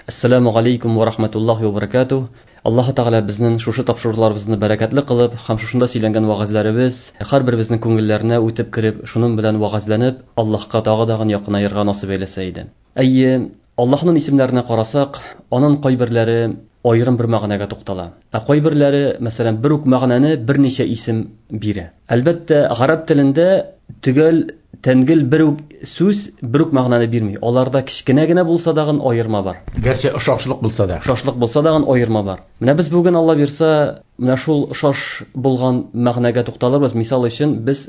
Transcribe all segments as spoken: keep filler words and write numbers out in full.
Ассаламу алейкум ва рахматуллахи ва баракатух. Аллаһ Тәгалә безнең шушы тапшыруларыбызны бәрәкәтле кылып, һәм шушында сөйләнгән вәгазьләребез һәр беребезнең күңелләренә үтеп кереп, шуның белән вәгазьләнеп, Аллаһка тагы дагын якынаерга насыйп әйләсә иде. Әйе, Аллаһның исемнәренә карасак, аның кайберләре аерым бер мәгънәгә туктала. Ә кайберләре, мәсәлән, бер үк мәгънәне берничә исем бирә. Әлбәттә, гарәп телендә төгәл тәнгел бер үк сүз бер үк мәгънәне бирми. Аларда кечкенә генә булса дагын аерма бар. Гәрчә ошашлык булса да. Ошашлык булса дагын аерма бар. Менә без бүген Алла бирсә, менә шул ошаш булган мәгънәгә тукталырбыз. Мисал өчен, без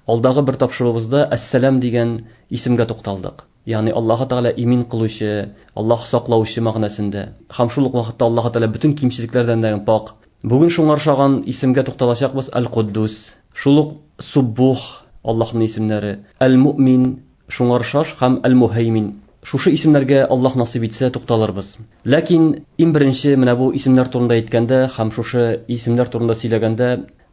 алдагы бер тапшыруыбызда Әссәлам дигән исемгә тукталдык. Ягъни Аллаһ Тәгалә имин кылучы, Аллаһ саклаучы мәгънәсендә. Һәм шул ук вакытта Аллаһ Тәгалә бөтен кимчелекләрдән дә пак. Бүген шуңа охшаган исемгә тукталачакбыз Әл-Куддус. Шул ук Суббух Аллаһның исемнәре, Әл-Муъмин шуңа охшаш һәм Әл-Муһаймин. Шушы исемнәргә Аллаһ насыйп итсә тукталырбыз. Ләкин иң беренче менә бу исемнәр турында әйткәндә һәм шушы исемнәр турында сөйләгәндә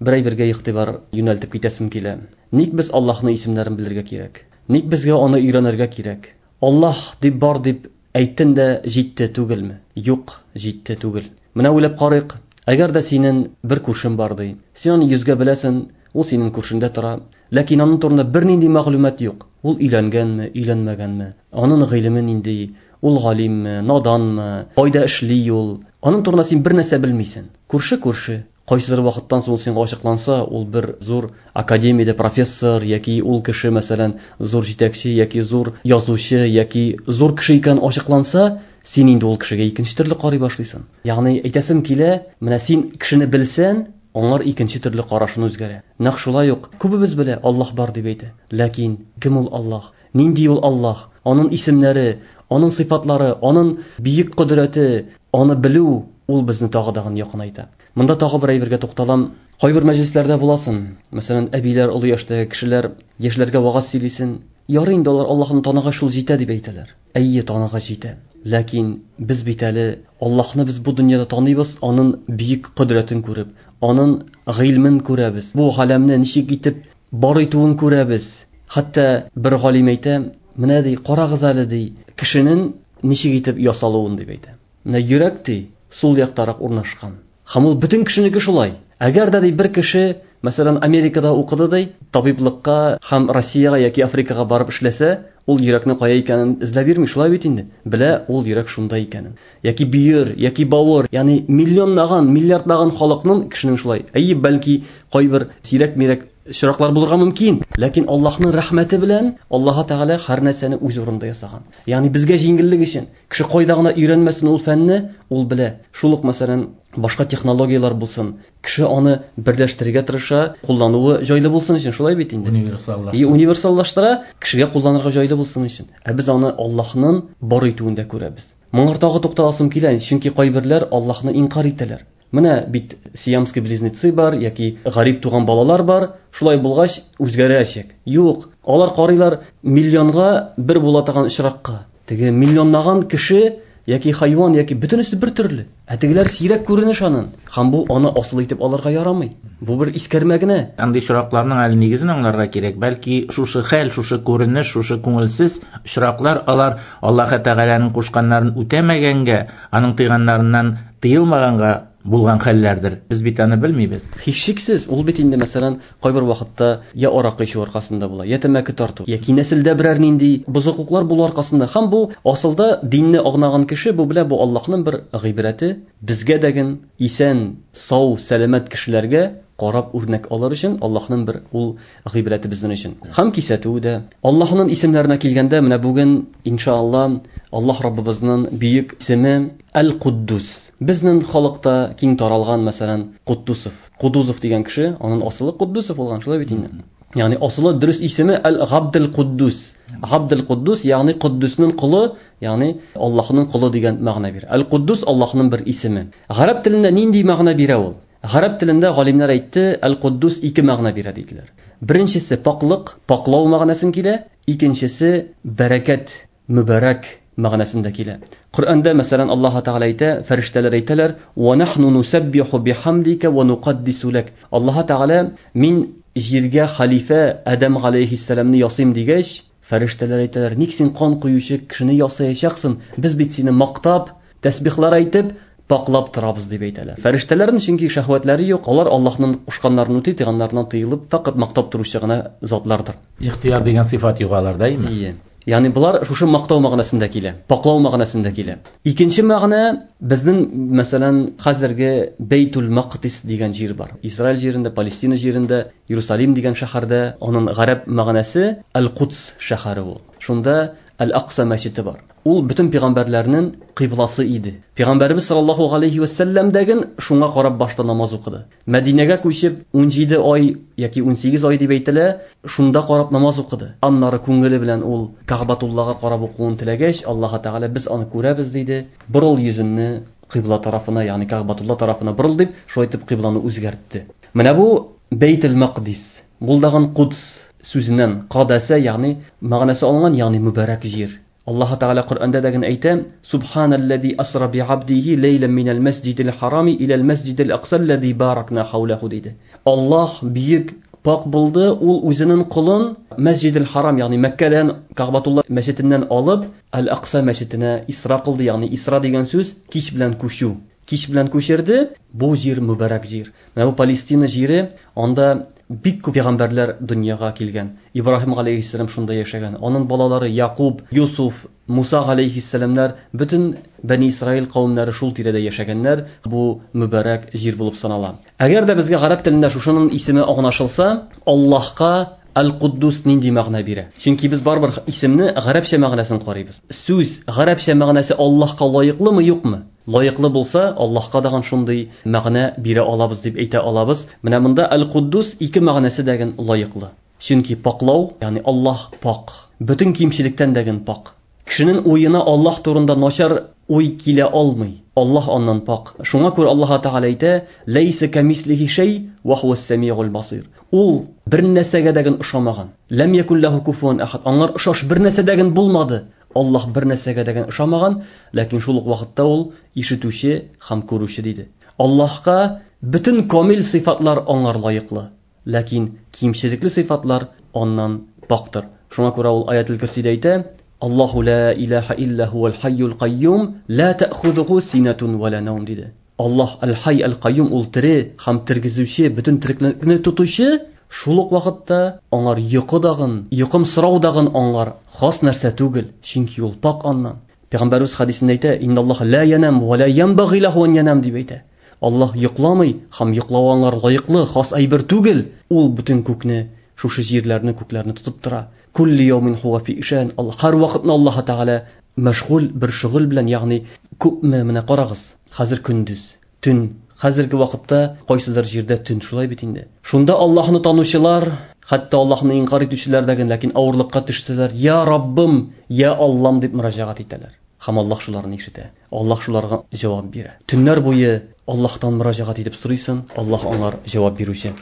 бер әйбергә игътибар юнәлтеп китәсем килә. Ник без Аллаһның исемнәрен белергә кирәк? Ник безгә аны өйрәнергә кирәк? Аллаһ дип бар дип әйттең дә җитте түгелме? Юк, җитте түгел. Менә уйлап карыйк. Әгәр дә синең бер күршең бар ди, син аны йөзгә беләсең, ул синең күршеңдә тора. Ләкин аның турында бернинди мәгълүмат юк. Ул өйләнгәнме, өйләнмәгәнме? Аның гыйлеме нинди? Ул галимме, наданмы? Кайда эшли ул? Аның турында син бер нәрсә белмисең. Күрше күрше. Кайсыдыр вакыттан соң ул сиңа ачыкланса, ул бер зур академиядә профессор яки ул кеше, мәсәлән, зур җитәкче яки зур язучы яки зур кеше икән ачыкланса, син инде ул кешегә икенче төрле карый башлыйсың. Ягъни әйтәсем килә, менә син кешене белсәң, аңар икенче төрле карашын үзгәрә. Нәкъ шулай ук күбебез белә Аллаһ бар дип әйтә. Ләкин кем ул Аллаһ? Нинди ул Аллаһ? Аның исемнәре, аның сыйфатлары, аның бөек кодрәте, аны белү ул безне тагы дагын якынайта. Монда тагы бер әйбергә тукталам. Кайбер мәҗлесләрдә буласың. Мәсәлән, әбиләр, олы яшьтәге кешеләр яшьләргә вагаз сөйлисен. Ярый инде алар Аллаһны таныгач шул җитә дип әйтәләр. Әйе, таныгач җитә. Ләкин без бит әле Аллаһны без бу дөньяда таныйбыз, аның бөек кодрәтен күреп, аның гыйльмен күрәбез. Бу галәмне ничек итеп бар итүен күрәбез. Хәтта бер галим әйтә, менә ди, карагыз әле ди, кешенең ничек итеп ясалуын дип әйтә. Менә йөрәк ди, сул яктарак урнашкан. Һәм ул бөтен кешенеке шулай. Әгәр дә ди бер кеше, мәсәлән, Америкада укыды ди, табиблыкка һәм Россиягә яки Африкага барып эшләсә, ул йөрәкне кая икәнен эзләп йөрми, шулай бит инде. Белә ул йөрәк шунда икәнен. Яки бөер, яки бавыр, ягъни миллионлаган, миллиардлаган халыкның кешенең шулай. Әйе, бәлки кайбер сирәк-мирәк очраклар булырга мөмкин, ләкин Аллаһның рәхмәте белән Аллаһ Тәгалә һәр нәрсәне үз урынында ясаган. Ягъни безгә җиңеллек өчен кеше кайда гына өйрәнмәсен ул фәнне, ул белә. Шул ук, мәсәлән, башка технологияләр булсын, кеше аны берләштерергә тырыша, куллануы җайлы булсын өчен, шулай бит инде. Универсаллаштыра. И универсаллаштыра, кешегә кулланырга җайлы булсын өчен. Ә без аны Аллаһның бар итүендә күрәбез. Моңа тагы тукталасым килә, чөнки кайберләр Аллаһны инкар итәләр. Менә бит сиамский близнецы бар яки гарип туган балалар бар, шулай булгач үзгәрәчәк. Юк, алар карыйлар миллионга бер була торган очракка. Теге миллионлаган кеше яки хайван яки бөтенесе бер төрле. Ә тегеләр сирәк күренеш анын. Һәм бу аны асыл итеп алырга ярамый. Бу бер искәрмә генә. Андый очракларның әле нигезен аңларга кирәк. Бәлки шушы хәл, шушы күренеш, шушы күңелсез очраклар алар Аллаһ Тәгаләнең кушканнарын үтәмәгәнгә, аның тыйганнарыннан тыелмаганга булган хәлләрдер. Без бит аны белмибез. Һичшиксез, ул бит инде, мәсәлән, кайбер вакытта я аракы эчү аркасында була, я тәмәке тарту, яки нәселдә берәр нинди бозыклыклар булу аркасында. Һәм бу асылда динне агнаган кеше бу белә, бу Аллаһның бер гыйбрәте безгә дәген исән, сау, сәламәт кешеләргә карап үрнәк алыр өчен Аллаһның бер ул гыйбрәте безнең өчен. Һәм кисәтүе дә. Аллаһның исемнәренә килгәндә, менә бүген иншалла Аллаһ Раббыбызның бөек исеме Әл-Куддус. Безнең халыкта киң таралган, мәсәлән, Куддусов. Кудузов дигән кеше, аның асылы Куддусов булган, шулай бит инде. Ягъни асылы дөрес исеме Әл-Габдул Куддус. Габдул Куддус, ягъни Куддусның колы, ягъни Аллаһның колы дигән мәгънә бирә. Әл-Куддус Аллаһның бер исеме. Гарәп телендә нинди мәгънә бирә ул? Гарәп телендә галимнәр әйтте, Әл-Куддус ике мәгънә бирә диделәр. Беренчесе паклык, паклау мәгънәсен килә, икенчесе бәрәкәт, мөбарәк мәгънәсендә килә. Коръәндә, мәсәлән, Аллаһ Тәгалә әйтә, фәрештәләр әйтәләр: "Ва нахну нусаббиху бихамдика ва нукаддису лак". Аллаһ Тәгалә мин җиргә халифә Адәм галәйһиссәламны ясыйм дигәч, фәрештәләр әйтәләр: "Ник син кан коючы кешене ясаячаксың? Без бит сине мактап, тәсбихлар әйтеп, паклап торабыз дип әйтәләр. Фәрештәләрнең чөнки шәһвәтләре юк, алар Аллаһның кушканнарын үти, тыйганнарыннан тыелып, фақат мактап торучы гына затлардыр. Ихтияр дигән сыйфат юк аларда, әйме? Ие. Ягъни булар шушы мактау мәгънәсендә килә, паклау мәгънәсендә килә. Икенче мәгънә безнең, мәсәлән, хәзерге Бейтул Мaqdis дигән җир бар. Израиль җирендә, Палестина җирендә, Иерусалим дигән шәһәрдә, аның гарәп мәгънәсе Әл-Кудс шәһәре ул. Шунда Әл-Акса мәчете бар. Ул бөтен пәйгамбәрләрнең кыйбласы иде. Пәйгамбәрбез саллаллаһу алейхи ва сәлләм дәген шуңа карап башта намаз укыды. Мәдинәгә күчеп ун җиде ай яки ун сигез ай дип әйтелә, шунда карап намаз укыды. Аннары күңеле белән ул Кәгъбәтуллага карап укуын теләгәч, Аллаһ Тәгалә без аны күрәбез диде. Борыл йөзенне кыйбла тарафына, ягъни Кәгъбәтулла тарафына борыл дип, шулай итеп кыйбланы үзгәртте. Менә бу Бейтул Мaqdis, булдаган Кудс сүзеннән кадәсә, ягъни мәгънәсе алынган, ягъни мөбарәк җир. Аллаһ Тәгалә Коръәндә дәген әйтә: "Субханаллази асра би абдихи ләйлән минәл мәсҗидил харами иләл мәсҗидил аксаллази баракна хаулаху" диде. Аллаһ бөек пак булды, ул үзенең колын Мәсҗидил Харам, ягъни Мәккәдән Кәгъбәтулла мәчетеннән алып Әл-Акса мәчетенә исра кылды, ягъни исра дигән сүз кич белән күчү. Кич белән күчерде. Бу җир мөбарәк җир. Менә бу Палестина җире, анда бик күп пәйгамбәрләр дөньяга килгән. Ибраһим галәйһиссәлам шунда яшәгән. Аның балалары Якуб, Юсуф, Муса галәйһиссәламнәр, бөтен Бәни Исраил кавемнәре шул тирәдә яшәгәннәр. Бу мөбарәк җир булып санала. Әгәр дә безгә гарәп телендә шушының исеме аңлашылса, Аллаһка Әл-Куддус нинди мәгънә бирә? Чөнки без барыбер исемне гарәпчә мәгънәсен карыйбыз. Сүз гарәпчә мәгънәсе Аллаһка лаеклымы, юкмы? Лаеклы булса, Аллаһка даган шундый мәгънә бирә алабыз дип әйтә алабыз. Менә монда Әл-Куддус ике мәгънәсе дәген лаеклы. Чөнки паклау, ягъни Аллаһ пак, бөтен кимчелектән дәген пак. Кешенең уена Аллаһ турында начар уй килә алмый. Аллаһ аннан пак. Шуңа күрә Аллаһ Тәгалә әйтә: "Ләйсә камислихи шәй ва хуас самиул басир." Ул бер нәрсәгә дәген ошамаган. Ләм якун лаху куфуан ахад. Аңар ошаш бер нәрсә дәген булмады. Аллаһ бер нәрсәгә дәген ошамаган, ләкин шул ук вакытта ул ишетүче һәм күрүче диде. Аллаһка бөтен камил сыйфатлар аңар лаеклы, ләкин кимчелекле сыйфатлар аннан пактыр. Шуңа күрә ул аятел Курсидә әйтә: "Аллаһу ла илаһа илля хуал хайюл кайюм, ла та'хузуху синатун ва ла наум" диде. Аллаһ аль-Хай аль-Кайюм, ул тере һәм тергезүче, бөтен тереклекне тотучы, шул ук вакытта аңар йокы дагын, йокым сорау дагын аңар хас нәрсә түгел, чөнки ул пак аннан. Пәйгамбәрбез хәдисендә әйтә: "Инналлаһа ла янам ва ла янбагый лаху ан янам" дип әйтә. Аллаһ йокламый һәм йоклау аңар лаеклы хас әйбер түгел. Ул бөтен күкне, шушы җирләрне, күкләрне тотып тора. Кулли яумин хуа фи ишан. Аллаһ һәр вакытны Аллаһ Тәгалә мәшгуль бер шөгыль белән, ягъни күпме, менә карагыз, хәзер көндез, төн, хәзерге вакытта кайсыдыр җирдә төн, шулай бит инде. Шунда Аллаһны танучылар, хәтта Аллаһны инкар итүчеләр дә, ләкин авырлыкка төштеләр. Я Раббым, я Аллам дип мөрәҗәгать итәләр. Һәм Аллаһ шуларны ишетә. Аллаһ шуларга җавап бирә. Төннәр буе Аллаһтан мөрәҗәгать итеп сорыйсың, Аллаһ аңар җавап бирүче.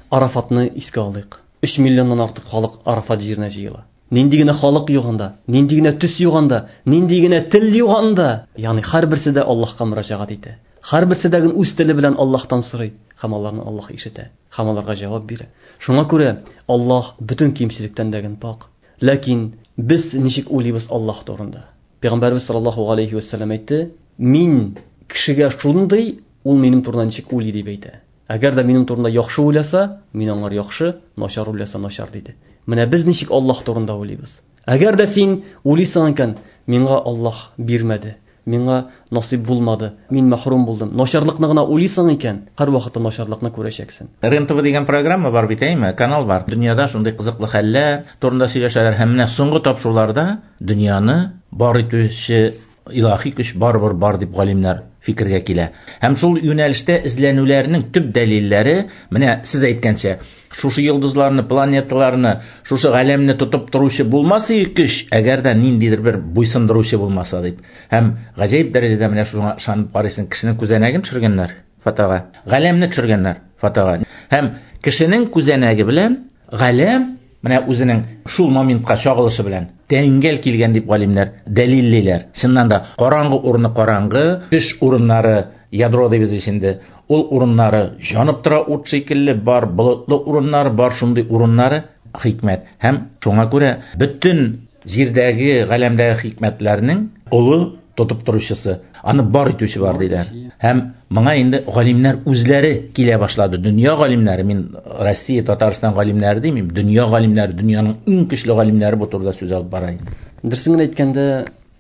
Арафатны искә алыйк. Өч миллионнан артык халык Арафат җиренә җыела. Нинди генә халык юк анда, нинди генә төс юк анда, нинди генә тел юк анда. Ягъни һәрберсе дә Аллаһка мөрәҗәгать итә. Һәрберсе дә үз теле белән Аллаһтан сорый, һәм аларны Аллаһ ишетә, һәм аларга җавап бирә. Шуңа күрә Аллаһ бөтен кимчелектән дә пак. Ләкин без ничек уйлыйбыз Аллаһ турында? Пәйгамбәрбез саллаллаһу алейхи ва сәлләм әйтте: "Мин кешегә шундый, ул минем турында ничек уйлый" дип әйтә. Әгәр дә минем турында яхшы уйласа, мин аңар яхшы, начар уйласа начар диде. Менә без ничек Аллаһ турында уйлыйбыз? Әгәр дә син уйлыйсың икән, миңа Аллаһ бирмәде, миңа насыйп булмады, мин мәхрүм булдым. Начарлыкны гына уйлыйсың икән, һәр вакытта начарлыкны күрәчәксең. РЕН-ТВ дигән программа бар бит, әйме? Канал бар. Дөньяда шундый кызыклы хәлләр турында сөйләшәләр һәм менә соңгы тапшыруларда дөньяны бар итүче илаһи көч барыбер бар дип галимнәр фикергә килә. Һәм шул юнәлештә эзләнүләрнең төп дәлилләре, менә сез әйткәнчә, шушы йолдызларны, планеталарны, шушы галәмне тотып торучы булмаса көч, әгәр дә ниндидер бер буйсындыручы булмаса дип. Һәм гаҗәеп дәрәҗәдә менә шуңа ышанып карыйсың, кешенең күзәнәген төшергәннәр фотога, галәмне төшергәннәр фотога. Һәм кешенең күзәнәге белән галәм менә үзенең шул моментка чагылышы белән тәңгәл килгән дип галимнәр дәлиллиләр. Чыннан да караңгы урыны караңгы, төш урыннары ядро дибез инде. Ул урыннары җанып тора ут шикелле, бар болытлы урыннар, бар шундый урыннары хикмәт. Һәм шуңа күрә бөтен җирдәге, галәмдәге хикмәтләрнең олы тотып торучысы, аны бар итүче бар диләр. Һәм моңа инде галимнәр үзләре килә башлады. Дөнья галимнәре, мин Россия, Татарстан галимнәре димим, дөнья галимнәре, дөньяның иң көчле галимнәре бу турыда сүз алып бара инде. Дөресен генә әйткәндә,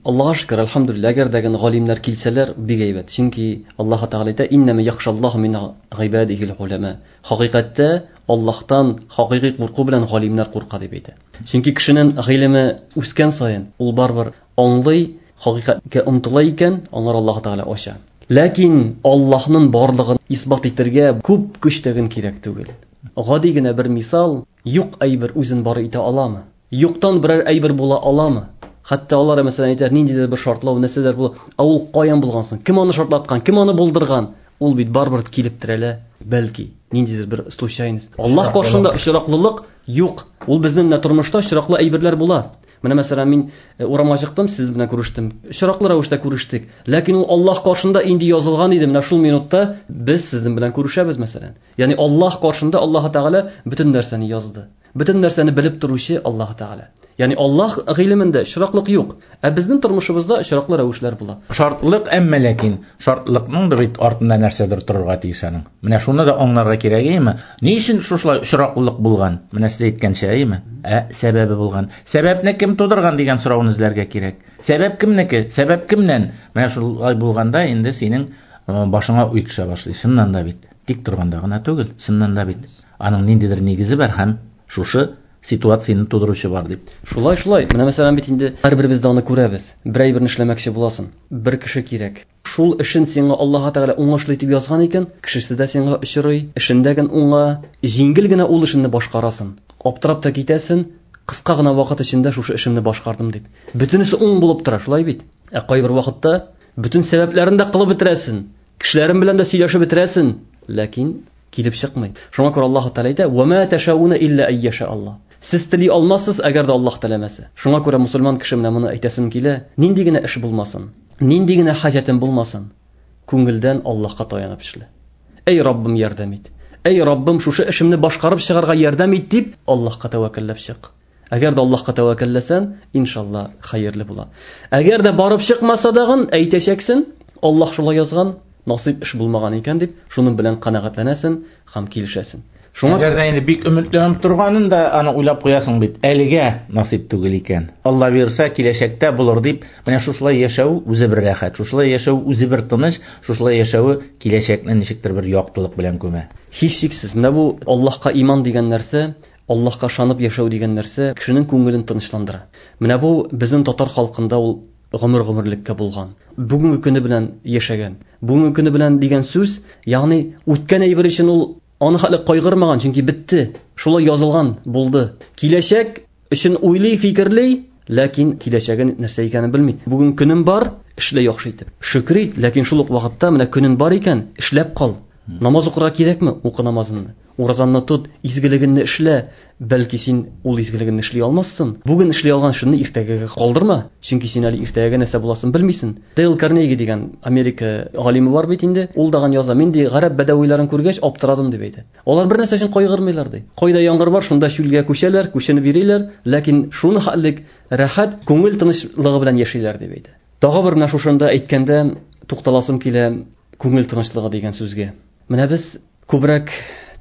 Аллаһка шөкер, әлхәмдүлилләһ, әгәр дә галимнәр килсәләр, бик әйбәт. Чөнки Аллаһ Тәгалә әйтә: "Иннәмә яхшаллаһу мин гыйбадихил уламә". Хакыйкатьтә Аллаһтан хакыйкый курку белән галимнәр курка дип әйтә. Чөнки кешенең гыйлеме үскән саен, ул барыбер аңлый, хакыйкатькә омтыла икән, аңар Аллаһ Тәгалә ача. Ләкин Аллаһның барлыгын исбат итәргә күп көч тәген кирәк түгел. Гади генә бер мисал: юк әйбер үзен бар итә аламы? Юктан берәр әйбер була аламы? Хәтта алар мәсәлән әйтәләр, ниндидер бер шартлау нәрсәләр була. Ә ул каян булган соң? Кем аны шартлаткан? Кем аны булдырган? Ул бит барыбер килеп терәлә. Бәлки ниндидер бер случайность. Аллаһ каршында очраклылык юк. Ул безнең менә тормышта очраклы әйберләр була. Менә мәсәлән мин урамга чыктым, сез белән күрештем. Очраклы рәвештә күрештек. Ләкин ул Аллаһ каршында инде язылган иде. Менә шул минутта без сезнең белән күрешәбез мәсәлән. Ягъни Аллаһ каршында Аллаһ Тәгалә бөтен нәрсәне язды. Бөтен нәрсәне белеп торучы Аллаһ Тәгалә. Ягъни Аллаһ гыйлемендә очраклык юк. Ә безнең тормышыбызда очраклы рәвешләр була. Шартлык, әмма ләкин шартлыкның да бит артында нәрсәдер торырга тиеш аның. Менә шуны да аңларга кирәк, әйеме? Ни өчен шушылай очраклылык булган? Менә сез әйткәнчә, әйеме? Ә сәбәбе булган. Сәбәпне кем тудырган дигән сорауны эзләргә кирәк. Сәбәп кемнеке? Сәбәп кемнән? Менә шулай булганда инде синең башыңа уй төшә башлый. Чыннан да бит. Тик торганда гына түгел, чыннан да бит. Аның ниндидер нигезе бар һәм шушы ситуацияне тудыручы бар дип. Шулай, шулай. Менә мәсәлән бит инде һәрберебез дә аны күрәбез. Бер әйберне эшләмәкче буласың, бер кеше кирәк. Шул эшен сиңа Аллаһ Тәгалә уңышлы итеп язган икән, кешесе дә сиңа очрый, эшендә генә уңа, җиңел генә ул эшеңне башкарасың. Аптырап та китәсең, кыска гына вакыт эчендә шушы эшемне башкардым дип. Бөтенесе уң булып тора, шулай бит. Ә кайбер вакытта бөтен сәбәпләрен дә кылып бетерәсең, кешеләрен белән дә сөйләшеп бетерәсең, ләкин килеп чыкмый. Шуңа күрә Аллаһ Тәгалә әйтә: "Ва ма ташауна илля айяша Аллаһ". Сез тели алмассыз, әгәр дә Аллаһ теләмәсә. Шуңа күрә мусульман кеше менә моны әйтәсем килә, нинди генә эш булмасын, нинди генә хаҗәтем булмасын, күңелдән Аллаһка таянып эшлә. Эй Раббым, ярдәм ит. Эй Раббым, шушы эшемне башкарып чыгарга ярдәм ит дип Аллаһка тәвәккәлләп чык. Әгәр дә Аллаһка тәвәккәлләсәң, иншалла хәерле була. Әгәр дә барып чыкмаса дагын, әйтәчәксең, Аллаһ шулай язган, насыйп эш булмаган икән дип, шуның белән канәгатьләнәсең һәм килешәсең. Шуңа әгәр дә инде бик өметләнеп торганын да аны уйлап куясың бит, әлегә насыйп түгел икән. Алла бирсә, киләчәктә булыр дип, менә шушылай яшәү үзе бер рәхәт, шушылай яшәү үзе бер тыныч, шушылай яшәве киләчәкне ничектер бер яктылык белән күмә. Һичшиксез, менә бу Аллаһка иман дигән нәрсә, Аллаһка ышанып яшәү дигән нәрсә кешенең күңелен тынычландыра. Менә бу безнең татар халкында ул гомер-гомерлеккә булган. Бүгенге көне белән яшәгән. Бүгенге көне белән дигән сүз, ягъни үткән әйбер өчен ул аны хәле кайгырмаган, чөнки бетте. Шулай язылган булды. Киләчәк өчен уйлый, фикерли, ләкин киләчәген нәрсә икәнен белми. Бүген көнем бар, эшлә яхшы итеп. Шөкер ит, ләкин шул ук вакытта менә көнен бар икән, эшләп кал. Намаз укырга кирәкме? Укы намазыңны. Уразаңны тот, изгелегеңне эшлә. Бәлки син ул изгелегеңне эшли алмассың. Бүген эшли алган эшеңне иртәгәгә калдырма, чөнки син әле иртәгә нәрсә буласын белмисең. Дейл Карнеги дигән Америка галиме бар бит инде, ул даган яза. Мин ди гарәп бәдәвиләрен күргәч аптырадым дип әйтә. Алар бер нәрсә өчен кайгырмыйлар ди. Кайда яңгыр бар, шунда чүлгә күчәләр, күченеп йөриләр, ләкин шуны хәллек рәхәт, күңел тынычлыгы белән яшиләр дип әйтә. Тагы бер менә шушында әйткәндә тукталасым килә күңел тынычлыгы дигән сүзгә. Менә без күбрәк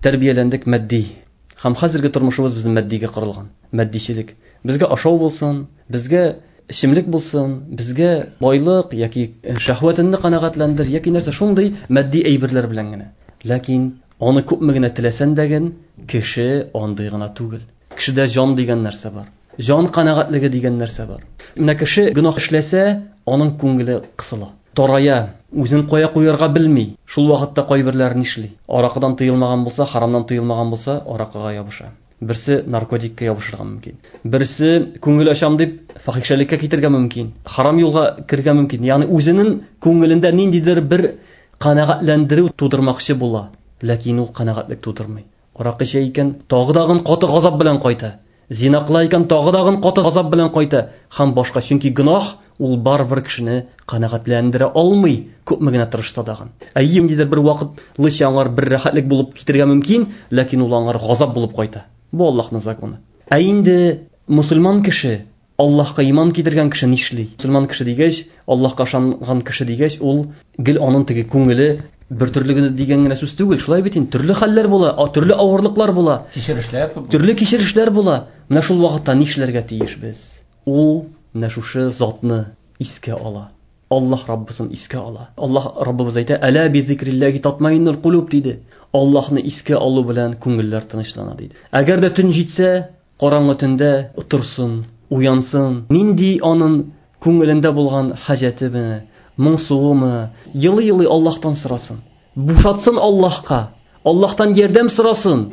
тәрбияләндек матди. Һәм хәзерге тормышыбыз безнең матдигә корылган. Матдичелек. Безгә ашау булсын, безгә эчемлек булсын, безгә байлык яки шәһвәтеңне канәгатьләндер, яки нәрсә шундый матди әйберләр белән генә. Ләкин аны күпме генә теләсәң дә кеше андый гына түгел. Кешедә җан дигән нәрсә бар. Җан канәгатьлеге дигән нәрсә бар. Менә кеше гөнаһ эшләсә, аның күңеле кысыла, тарая, үзен кая куярга белми. Шул вакытта кайберләр нишли? Аракыдан тыелмаган булса, харамнан тыелмаган булса, аракыга ябыша. Берсе наркотикка ябышырга мөмкин. Берсе күңел ачам дип фахишәлеккә китергә мөмкин. Харам юлга кергә мөмкин. Ягъни үзенең күңелендә ниндидер бер канәгатьләндерү тудырмакчы була, ләкин ул канәгатьлек тудырмый. Аракы эчә икән, тагы дагын каты газап белән кайта. Зина кыла икән, тагы дагын каты газап белән кайта һәм башка. Чөнки гөнаһ ул барыбер кешене канәгатьләндерә алмый, күпме генә тырышса дагын. Әйе, ниндидер бер вакытлыча аңар бер рәхәтлек булып китергә мөмкин, ләкин ул аңар газап булып кайта. Бу Аллаһның законы. Ә инде мусульман кеше Аллаһка иман китергән кеше нишли? Мөселман кеше дигәч, Аллаһка ышанган кеше дигәч, ул гел аның теге күңеле бер төрле генә дигән генә сүз түгел. Шулай бит инде, төрле хәлләр була, төрле авырлыклар була, кичерешләр күп. Төрле кичерешләр була. Менә шул вакытта нишләргә тиеш без? Ул менә шушы затны искә ала. Аллаһ Раббысын искә ала. Аллаһ Раббыбыз әйтә: "Әла би зикриллаһи татмаиннул кулуб" диде. Аллаһны искә алу белән күңелләр тынычлана диде. Әгәр дә төн җитсә, караңгы төндә торсын, уянсын. Нинди аның күңелендә булган хаҗәтеме, моңсуымы, елый-елый Аллаһтан сорасын. Бушатсын Аллаһка, Аллаһтан ярдәм сорасын.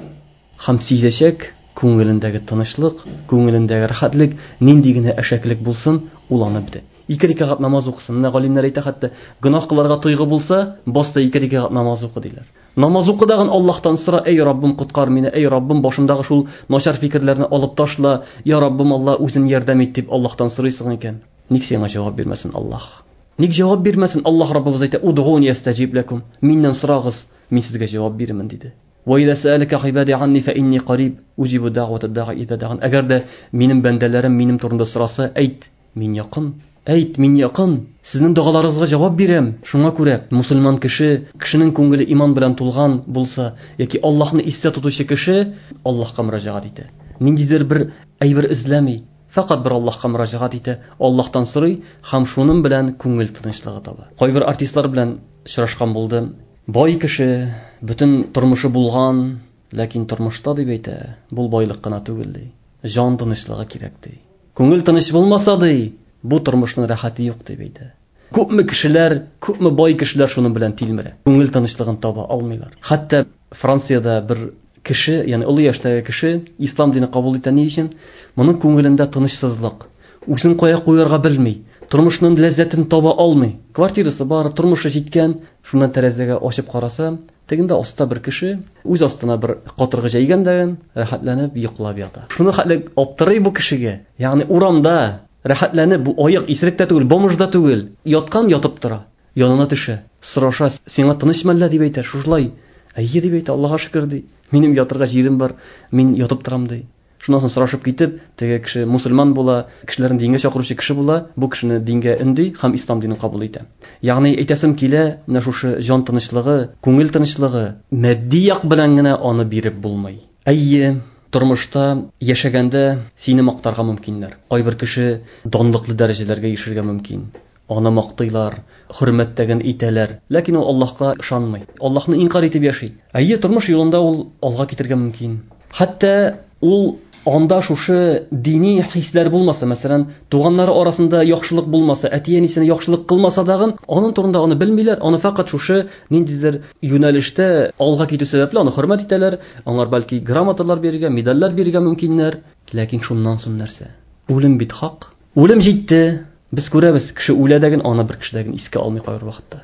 Һәм сизәчәк күңелендәге тынычлык, күңелендәге рәхәтлек, нинди генә әшәклек булсын, ул аны бетә. Ике рәкәгать намаз укысын. Менә галимнәр әйтә, хәтта гөнаһ кылырга тойгы булса, баста ике рәкәгать намаз укы диләр. Намаз укыдагын Аллаһтан сора: "Эй Раббым, коткар мине, эй Раббым, башымдагы шул начар фикерләрне алып ташла, я Раббым, Алла, үзең ярдәм ит" дип Аллаһтан сорыйсың икән. Ник сиңа җавап бирмәсен Аллаһ? Ник җавап бирмәсен? Аллаһ Раббыбыз әйтә: "Удгуни астаҗиб лакум." Миннән сорагыз, мин сезгә җавап бирермен диде. Ва иза саалака гыйбади анни фа инни кариб уҗибу дa'вата да'i иза дa'ан. Әгәр дә минем бәндәләрем минем турында сораса, әйт, мин якын. Әйт, мин якын. Сезнең догаларыгызга җавап бирәм. Шуңа күрә мусульман кеше, кешенең күңеле иман белән тулган булса, яки Аллаһны истә тотучы кеше Аллаһка мөрәҗәгать итә. Ниндидер бер әйбер эзләми, фақат бер Аллаһка мөрәҗәгать итә, Аллаһтан сорый һәм шуның белән күңел тынычлыгы таба. Кайбер артистлар белән очрашкан булды. Бай кеше, бөтен тормышы булган, ләкин тормышта дип әйтә, бу байлык кына түгел ди. Җан тынычлыгы кирәк ди. Күңел тыныч булмаса ди, бу тормышның рәхәте юк дип әйтә. Күпме кешеләр, күпме бай кешеләр шуның белән тилмерә. Күңел тынычлыгын таба алмыйлар. Хәтта Франциядә бер кеше, ягъни олы яшьтәге кеше ислам дине кабул итә ни өчен? Моның күңелендә тынычсызлык. Үзен кая куярга белми, тормышның ләззәтен таба алмый. Квартирасы бар, тормышы җиткән, шуннан тәрәзәгә ачып караса, тегендә аста бер кеше үз астына бер катыргы җәйгән дә рәхәтләнеп йоклап ята. Шуны хәтле аптырый бу кешегә. Ягъни урамда рәхәтләнеп, бу аяк исерек тә түгел, бомж да түгел, яткан ятып тора. Янына төшә, сораша: "Сиңа тыныч мәллә?" дип әйтә. Шушылай: "Әйе" дип әйтә, "Аллаһка шөкер" ди. "Минем ятырга җирем бар, мин ятып торам" ди. Шуннан соң сорашып китеп, теге кеше мусульман була, кешеләрне дингә чакыручы кеше була, бу кешене дингә өнди һәм ислам динен кабул итә. Ягъни әйтәсем килә, менә шушы җан тынычлыгы, күңел тынычлыгы матди як белән генә аны биреп булмый. Әйе, тормышта яшәгәндә сине мактарга мөмкиннәр. Кайбер кеше данлыклы дәрәҗәләргә ирешергә мөмкин. Аны мактыйлар, хөрмәттәген итәләр. Ләкин ул Аллаһка ышанмый. Аллаһны инкар итеп яши. Әйе, тормыш юлында ул алга китергә мөмкин. Хәтта ул анда шушы дини хисләр булмаса, мәсәлән, туганнары арасында яхшылык булмаса, әти-әнисенә яхшылык кылмаса дагын, аның турында аны белмиләр, аны фақат шушы ниндидер юнәлештә алга китү сәбәпле аны хөрмәт итәләр, аңар бәлки грамоталар бирергә, медальләр бирергә мөмкиннәр. Ләкин шуннан соң нәрсә? Үлем бит хак. Үлем җитте. Без күрәбез, кеше үлә дәген, аны бер кеше дәген искә алмый кайбер вакытта.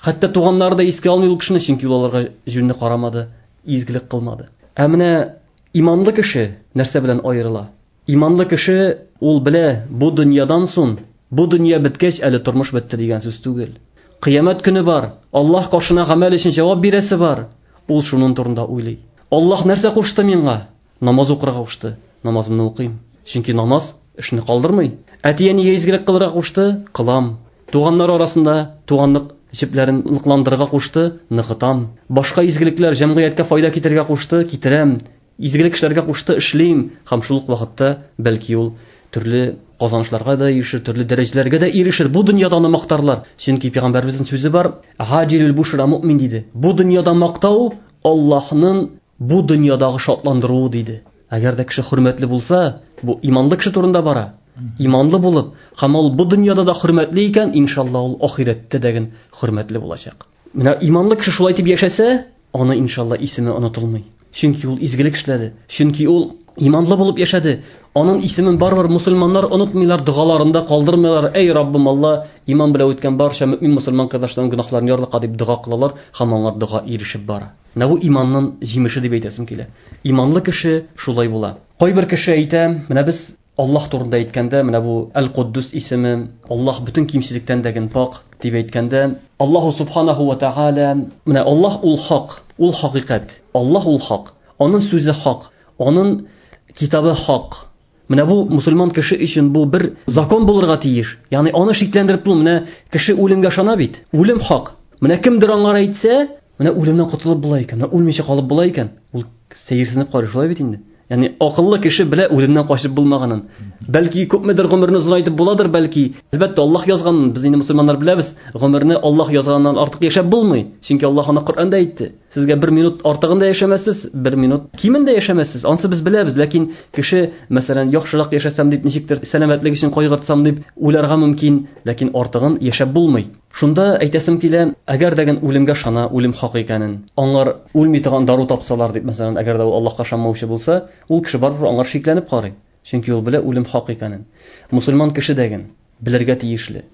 Хәтта туганнары да искә алмый ул кешене, чөнки ул аларга җүнне карамады, изгелек кылмады. Ә менә иманлы кеше нәрсә белән аерыла? Иманлы кеше ул белә, бу дөньядан соң, бу дөнья беткәч әле тормыш бетте дигән сүз түгел. Кыямәт көне бар, Аллаһ каршына гамәл өчен җавап бирәсе бар. Ул шуның турында уйлый. Аллаһ нәрсә кушты миңа? Намаз укырга кушты. Намазымны укыйм. Чөнки намаз эшне калдырмый. Әти-әнигә изгелек кылырга кушты, кылам. Туганнар арасында туганлык җепләрен ныкландырырга кушты, ныгытам. Башка изгелекләр җәмгыятькә файда китерергә кушты, китерәм. Изгелек эшләргә кушты, эшлим. Һәм шул ук вакытта бәлки ул төрле казанышларга да ирешер, төрле дәрәҗәләргә дә ирешер. Бу дөньяда аны мактарлар. Чөнки пәйгамбәребезнең сүзе бар: "Хаҗилул бушра муъмин" диде. Бу дөньяда мактау Аллаһның бу дөньядагы шатландыруы диде. Әгәр дә кеше хөрмәтле булса, бу иманлы кеше турында бара. Иманлы булып, һәм ул бу дөньяда да хөрмәтле икән, иншалла ул ахирәттә дә хөрмәтле булачак. Менә иманлы кеше шулай дип яшәсә, аны иншалла исеме онытылмый. Чөнки ул изгелек эшләде, чөнки ул иманлы булып яшәде. Аның исемен барыбер мусульманнар онытмыйлар, догаларында калдырмыйлар. Эй Раббым Алла, иман белән үткән барча мөмин мусульман кардәшләрнең гөнаһларын ярлыка дип дога кылалар һәм аңар дога ирешеп бара. Менә бу иманның җимеше дип әйтәсем килә. Иманлы кеше шулай була. Кайбер кеше әйтә, менә без Аллаһ турында әйткәндә, менә бу Әл-Куддус исеме, Аллаһ бөтен кимчелектән дә пак дип әйткәндә, Аллаһу субханаху ва тааля, менә Аллаһ ул хак, ул хакыйкать. Аллаһ ул хак, аның сүзе хак, аның китабы хак. Менә бу мусульман кеше өчен бу бер закон булырга тиеш. Ягъни аны шикләндереп булмый. Менә кеше үлемгә ышана бит. Үлем хак. Менә кемдер аңар әйтсә, менә үлемнән котылып була икән, менә үлмичә калып була икән. Ул сәерсенеп карый, шулай бит инде. Ягъни акыллы кеше белә үлемнән качып булмаганын. Бәлки күпмедер гомерне озынайтып буладыр, бәлки. Әлбәттә, Аллаһ язганын, без инде мусульманнар беләбез, гомерне Аллаһ язганнан артык яшәп булмый. Чөнки Аллаһ аны Коръәндә әйтте. Сезгә бер минут артыгын да яшәмәссез, бер минут кимен дә яшәмәссез. Ансы без беләбез, ләкин кеше, мәсәлән, яхшырак яшәсәм дип, ничектер сәламәтлек өчен кайгыртсам дип уйларга мөмкин, ләкин артыгын яшәп булмый. Шунда әйтәсем килә, әгәр дә үлемгә ышана, үлем хак икәнен, аңар үлми торган дару тапсалар дип, мәсәлән, әгәр дә ул Аллаһка ышанмаучы булса, ул кеше барыбер аңар шикләнеп карый. Чөнки ул белә үлем хак икәнен. Мусульман кеше дәген белергә тиешле.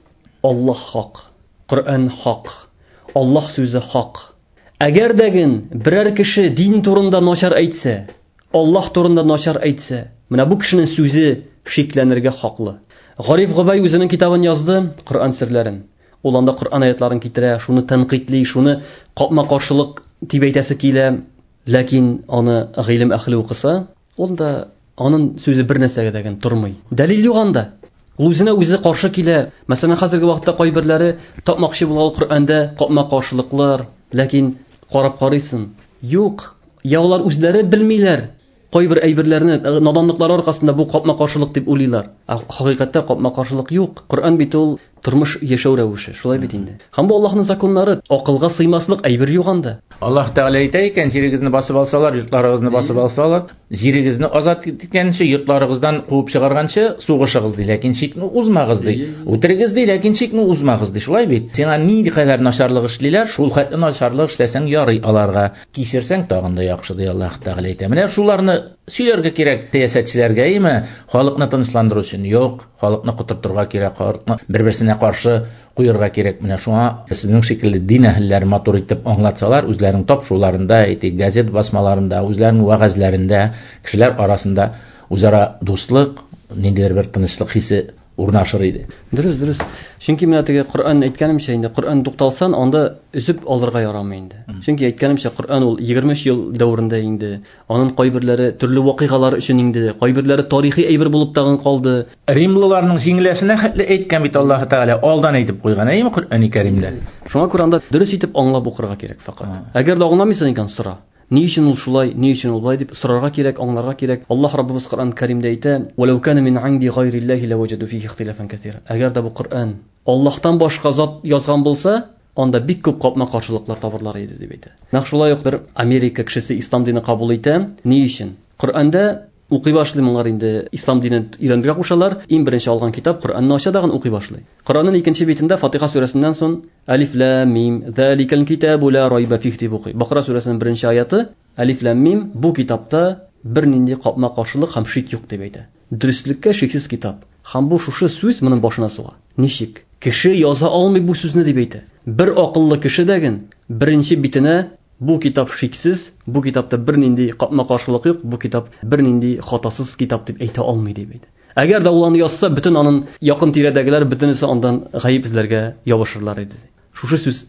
Аллаһ хак, Коръән хак, Аллаһ сүзе хак. Әгәр дәген берәр кеше дин турында начар әйтсә, Аллаһ турында начар әйтсә, менә бу кешенең сүзе шикләнергә хаклы. Гариф Гобай үзенең китабын язды, Коръән серләрен. Ул анда Коръән аятларын китерә, шуны тәнкыйтьли, шуны капма-каршылык дип әйтәсе килә. Ләкин аны гыйлем әһле укыса, ул да аның сүзе бер нәрсәгә дә тормый. Дәлил юк анда. Ул үзенә үзе каршы килә. Мәсәлән, хәзерге вакытта кайберләре тапмакчы булган Коръәндә капма-каршылыклар, ләкин карап карыйсың, юк. Я алар үзләре белмиләр. Кайбер әйберләрне наданлыклар аркасында бу капма-каршылык дип уйлыйлар. Ә хакыйкатьтә капма-каршылык юк. Коръән бит ул тормыш яшәү рәвеше, шулай бит инде. Һәм бу Аллаһның законнары, акылга сыймаслык әйбер юк анда. Аллаһ Тәгалә әйтә икән, җирегезне басып алсалар, йортларыгызны басып алсалар, җирегезне азат иткәнче, йортларыгыздан куып чыгарганчы сугышыгыз ди, ләкин чикне узмагыз ди. Үтерегез ди, ләкин чикне узмагыз ди. Шулай бит. Сиңа нинди кадәр начарлык эшлиләр, шул хәтле начарлык эшләсәң ярый аларга. Кичерсәң тагын да яхшы ди Аллаһ Тәгалә әйтә. Менә шуларны сөйләргә кирәк сәясәтчеләргә, әйме? Халыкны тынычландыру өчен юк, халыкны котыртырга кирәк, халыкны бер-берсенә каршы куярга кирәк. Менә шуңа сезнең шикелле дин әһелләре матур итеп аңлатсалар, үзләренең тапшыруларында, әйтик, газет басмаларында, үзләренең вәгазьләрендә кешеләр арасында үзара дуслык, ниндидер бер тынычлык хисе урнашыр иде. Дөрес, дөрес. Чөнки менә теге Коръән әйткәнемчә инде, Коръән тукталсан, анда өзеп алырга ярамый инде. Чөнки әйткәнемчә, Коръән ул егерме өч ел дәверендә инде. Аның кайберләре төрле вакыйгалар өчен инде, кайберләре тарихи әйбер булып тагын калды. Римлыларның җиңеләсенә хәтле әйткән бит Аллаһ Тәгалә, алдан әйтеп куйган, әйеме Коръән Кәримдә? Шуңа күрә анда дөрес итеп аңлап укырга кирәк факат. Әгәр дә аңламыйсың икән, сора. Ни өчен ул шулай, ни өчен ул болай дип сорарга кирәк, аңларга кирәк. Аллаһ Раббыбыз Коръән Кәримдә әйтә: "Валау кана мин инди гайриллаһи лаваҗаду фихи ихтилафан кәсира". Әгәр дә бу Коръән Аллаһтан башка зат язган булса, анда бик күп капма-каршылыклар табырлар иде дип әйтә. Нәкъ шулай ук бер Америка кешесе ислам динен кабул итә. Ни өчен? Коръәндә укый башлый моңар инде, ислам динен өйрәнергә кушалар. Иң беренче алган китап Коръәнне ача дагын укый башлый. Коръәннең икенче битендә Фатиха сүрәсеннән соң Алиф лам мим заликал китабу ла райба фих дип укый. Бакара сүрәсенең беренче аяты Алиф лам мим, бу китапта бернинди капма-каршылык һәм шик юк дип әйтә. Дөреслеккә шиксез китап. Һәм бу шушы сүз моның башына суга. Ничек? Кеше яза алмый бу сүзне дип әйтә. Бер акыллы кеше дәген беренче битенә бу китап шиксез, бу китапта бернинди капма-каршылык юк, бу китап бернинди хатасыз китап дип әйтә алмый дип әйтә. Әгәр дә ул аны язса, бөтен аның якын тирәдәгеләр бөтенесе андан гаеп эзләргә ябышырлар иде. Шушы сүз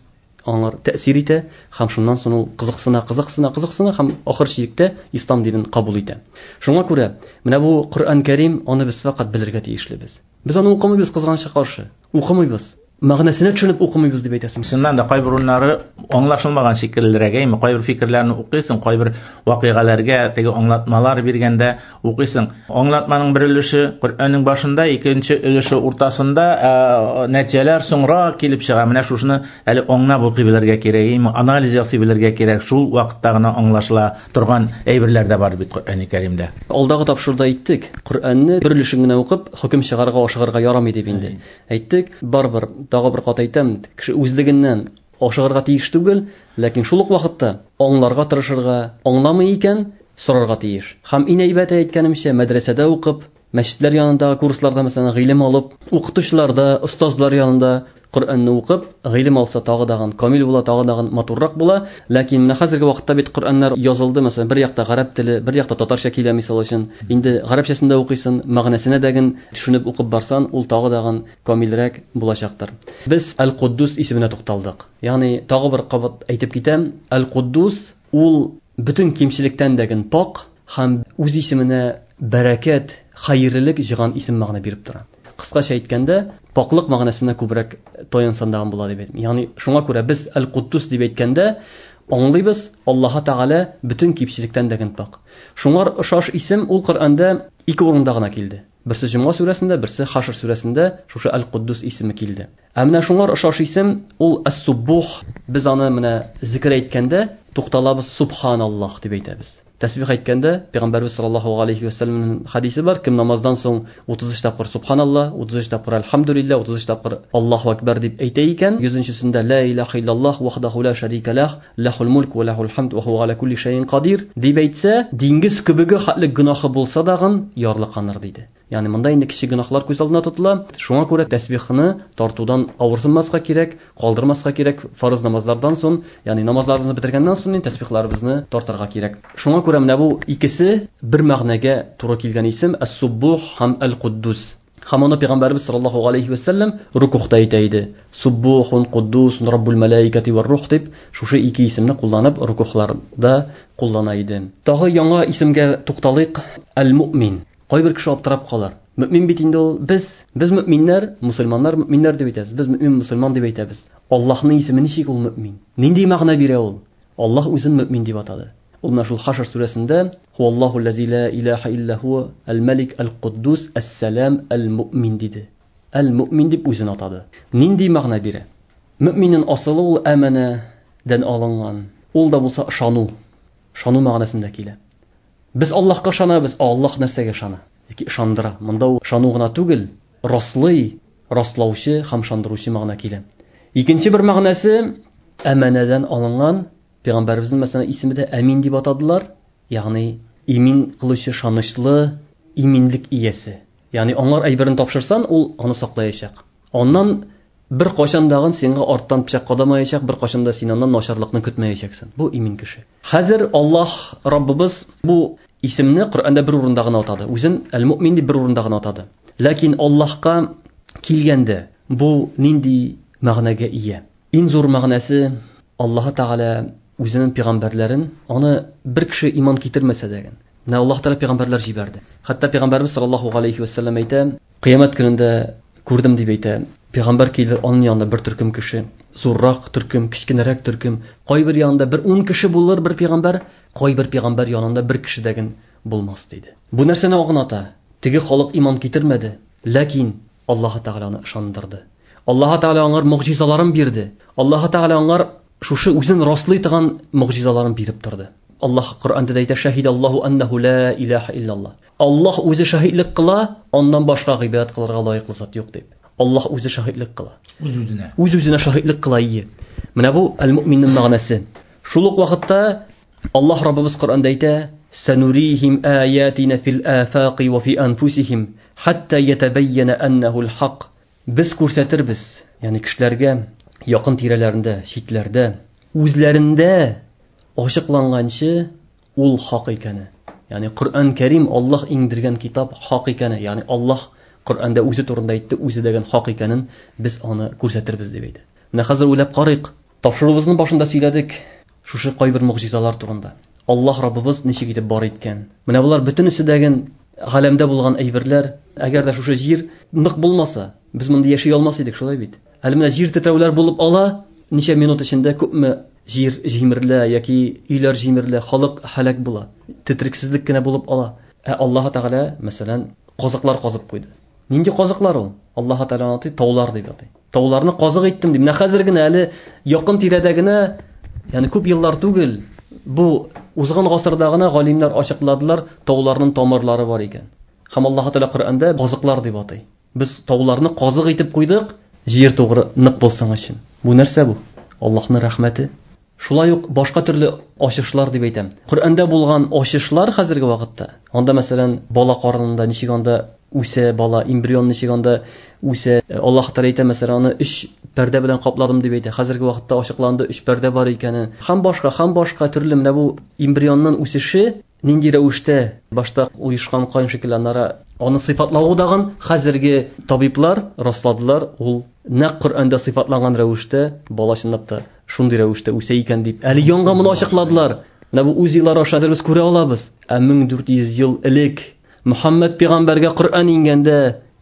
аңар тәэсир итә һәм шуннан соң ул кызыксына, кызыксына, кызыксына һәм ахыр чиктә ислам динен кабул итә. Шуңа күрә менә бу Коръән Кәрим аны без факат белергә тиешлебез. Без аны укымыйбыз, кызганычка каршы. Укымыйбыз. Мәгънәсенә төшенеп укымыйбыз дип әйтәсең. Чыннан да кайбер урыннары аңлашылмаган шикеллерәк, әйме, кайбер фикерләрне укыйсың, кайбер вакыйгаларга теге аңлатмалар биргәндә укыйсың. Аңлатманың бер өлеше Коръәннең башында, икенче өлеше уртасында, ә, нәтиҗәләр соңрак килеп чыга. Менә шушыны әле аңлап укый белергә кирәк, әйме, анализ ясый белергә кирәк. Шул вакытта гына аңлашыла торган әйберләр дә бар бит Коръән Кәримдә. Алдагы тапшыруда әйттек, Коръәнне бер өлешен генә укып хөкем чыгарырга ашыгырга ярамый дип инде. Әйттек, барыбер тагы бер кат әйтәм, кеше үзлегеннән ашыгырга тиеш түгел, ләкин шул ук вакытта аңларга тырышырга, аңламый икән, сорарга тиеш. Һәм иң әйбәте әйткәнемчә, мәдрәсәдә укып, мәчетләр янындагы курсларда мәсәлән гыйлем алып, укытучыларда, остазлар янында Коръәнне укып, гыйлем алса тагы дагын камил була, тагы дагын матуррак була. Ләкин менә хәзерге вакытта бит Коръәннәр язылды, мәсәлән, бер якта гарәп теле, бер якта татарча килә мисал өчен. Инде гарәпчәсен дә укыйсың, мәгънәсенә дәген төшенеп укып барсан, ул тагы дагын камилрәк булачактыр. Без Әл-Куддус исеменә тукталдык. Ягъни тагы бер кабат әйтеп китәм, Әл-Куддус ул бөтен кимчелектән дәген пак һәм үз исеменә бәрәкәт хәерлелек җыйган исем мәгънә биреп тора. Кыскача әйткәндә, пакълык мәгънәсенә күбрәк таянсан дигән була дип әйтәм. Ягъни шуңа күрә без Әл-Куддус дип әйткәндә аңлыйбыз, Аллаһ Тәгалә бөтен кимчелектән дә пак. Шуңар ошаш исем ул Коръәндә ике урында гына килде. Берсе Җомга сүрәсендә, берсе Хашр сүрәсендә шушы Әл-Куддус исеме килде. Ә менә шуңар ошаш исем ул Әс-Суббух. Без аны менә зикр әйткәндә тукталабыз, Субханаллаһ дип әйтәбез. Тәсбих әйткәндә Пәйгамбәрбез саллаллаһу алейхи ва сәлләмнең хадисе бар, кем намаздан соң утыз өч тапкыр Субханаллаһ, утыз өч тапкыр Әлхәмдүлилләһ, утыз өч тапкыр Аллаһу акбар дип әйтә икән, йөзенчесендә ла илаһа иллаллаһ вахдаху ла шәрика лах, лахул мулк ва лахул хамд ва хуа аля кулли шәйин кадир дип әйтсә, диңгез күбеге хәтле гөнаһы булса дагын ярлыканыр диде. Ягъни монда инде кече гөнаһлар күз алдына тотыла. Шуңа күрә тәсбихны тартудан авырсынмаска кирәк, калдырмаска кирәк. Фарыз намазлардан соң, ягъни намазларыбызны бетергәннән соң тәсбихларыбызны тартырга кирәк. Шуңа күрә менә бу икесе бер мәгънәгә туры килгән исем Әс-Суббух һәм Әл-Куддус. Һәм аны Пәйгамбәрбез саллаллаһу алейхи ва сәлләм рукухта әйтә иде. Суббухун Куддус Раббул малаикати вар рух дип шушы ике исемне кулланып рукухларда куллана иде. Тагы яңа исемгә тукталыйк, Әл-Муъмин. Кайбер кеше аптырап калар. Мөмин бит инде ул без, без мөминнәр, мусульманнар мөминнәр дип әйтәбез. Без мөмин мусульман дип әйтәбез. Аллаһның исеме ничек ул мөмин? Нинди мәгънә бирә ул? Аллаһ үзен мөмин дип атады. Ул менә шул Хашр сүрәсендә Хуаллаһу лази ла илаһа илля хуа аль-Малик аль-Куддус ас-Салам аль-Муъмин диде. Әл-Муъмин дип үзен атады. Нинди мәгънә бирә? Мөминнең асылы ул әманәдән алынган. Ул да булса ышану. Ышану мәгънәсендә килә. Без Аллаһка ышанабыз, Аллаһ нәрсәгә ышана? Яки ышандыра. Монда ул ышану гына түгел, раслый, раслаучы һәм ышандыручы мәгънә килә. Икенче бер мәгънәсе әманәдән алынган. Пәйгамбәребезнең мәсәлән исеме дә Әмин дип атадылар, ягъни имин кылучы, ышанычлы, иминлек иясе. Ягъни аңар әйберен тапшырсан, ул аны саклаячак. Аннан бер кайчан дагын сиңа арттан пычак кадамаячак, бер кайчан да син аннан начарлыкны көтмәячәксең. Бу имин кеше. Хәзер Аллаһ Раббыбыз бу исемне Коръәндә бер урында гына атады. Үзен Әл-Муъмин дип бер урында гына атады. Ләкин Аллаһка килгәндә бу нинди мәгънәгә ия? Иң зур мәгънәсе Аллаһ Тәгалә үзенең пәйгамбәрләрен, аны бер кеше иман китермәсә дә, менә Аллаһ Тәгалә пәйгамбәрләр җибәрде. Хәтта пәйгамбәрбез саллаллаһу алейхи ва сәлләм әйтә, кыямәт көнендә күрдем дип әйтә. Пәйгамбәр килер, аның янында бер төркем кеше, зуррак төркем, кечкенәрәк төркем, кайбер янында бер ун кеше булыр бер пәйгамбәр, кайбер пәйгамбәр янында бер кеше дә булмас диде. Бу нәрсәне аңлата? Теге халык иман китермәде, ләкин Аллаһ Тәгалә аны ышандырды. Аллаһ Тәгалә аңар мөгъҗизаларын бирде. Аллаһ Тәгалә аңар шушы үзен раслый торган мөгъҗизаларын биреп торды. Аллаһ Коръәндә дә әйтә, шаһидаллаһу аннаху ла илаһа иллаллаһ. Аллаһ үзе шаһидлек кыла, аннан башка гыйбадәт кылырга лаеклы зат юк дип. Аллаһ үзе шаһидлек кыла. Үз-үзенә. Үз-үзенә шаһидлек кыла ие. Менә бу әл-муъминнең мәгънәсе. Шул ук вакытта Аллаһ Раббыбыз Коръәндә әйтә, санурихим аятина фил афaqi ва фи анфусихим хатта ятабайяна аннаху ал-хак. Без күрсәтербез, ягъни кешеләргә якын тирәләрендә, читләрдә, үзләрендә ачыкланганчы ул хак икәне. Ягъни Коръән Кәрим Аллаһ иңдергән китап хак икәне, ягъни Аллаһ Коръәндә үзе турында әйтте, үзе дигән хак икәнен без аны күрсәтербез дип әйтә. Менә хәзер уйлап карыйк. Тапшыруыбызның башында сөйләдек шушы кайбер мөгъҗизалар турында. Аллаһ Раббыбыз ничек итеп бар иткән. Менә булар бөтенесе дәген галәмдә булган әйберләр. Әгәр дә шушы җир нык булмаса, без монда яши алмас идек, шулай бит. Әле менә җир тетрәүләр булып ала, ничә минут эчендә күпме җир җимерелә яки өйләр җимерелә, халык һәлак була. Тетрексезлек кенә булып ала. Ә Аллаһ Тәгалә, мәсәлән, казыклар казып куйды. Нинди казыклар ул? Аллаһ Тәгалә аны таулар дип атый. Тауларны казык иттем дип. Менә хәзер генә әле якын тирәдә генә, ягъни күп еллар түгел, бу узган гасырда гына галимнәр ачыкладылар, тауларның тамырлары бар икән. Һәм Аллаһ Тәгалә Коръәндә казыклар дип атый. Без тауларны казык итеп куйдык, җир тугры нык булсын өчен. Бу нәрсә бу? Аллаһның рәхмәте. Шулай ук башка төрле ачышлар дип әйтәм. Коръәндә булган ачышлар хәзерге вакытта. Анда мәсәлән бала карынында ничек анда үсә бала, эмбрион ничек анда үсә. Аллаһ Тәгалә әйтә, мәсәлән, аны өч пәрдә белән капладым дип әйтә. Хәзерге вакытта ачыкланды өч пәрдә бар икәнен. Һәм башка, һәм башка төрле менә бу эмбрионның үсеше нинди рәвештә башта оешкан кайын шикелле аннары аны сыйфатлавы дагын хәзерге табиблар расладылар, ул нәкъ Коръәндә сыйфатланган рәвештә бала чынлап та шундый рәвештә үсә икән дип. Әле яңа моны ачыкладылар. Менә бу УЗИлар аша хәзер без күрә алабыз. Ә мең дүрт йөз ел элек Мөхәммәд пәйгамбәргә Коръән иңгәндә,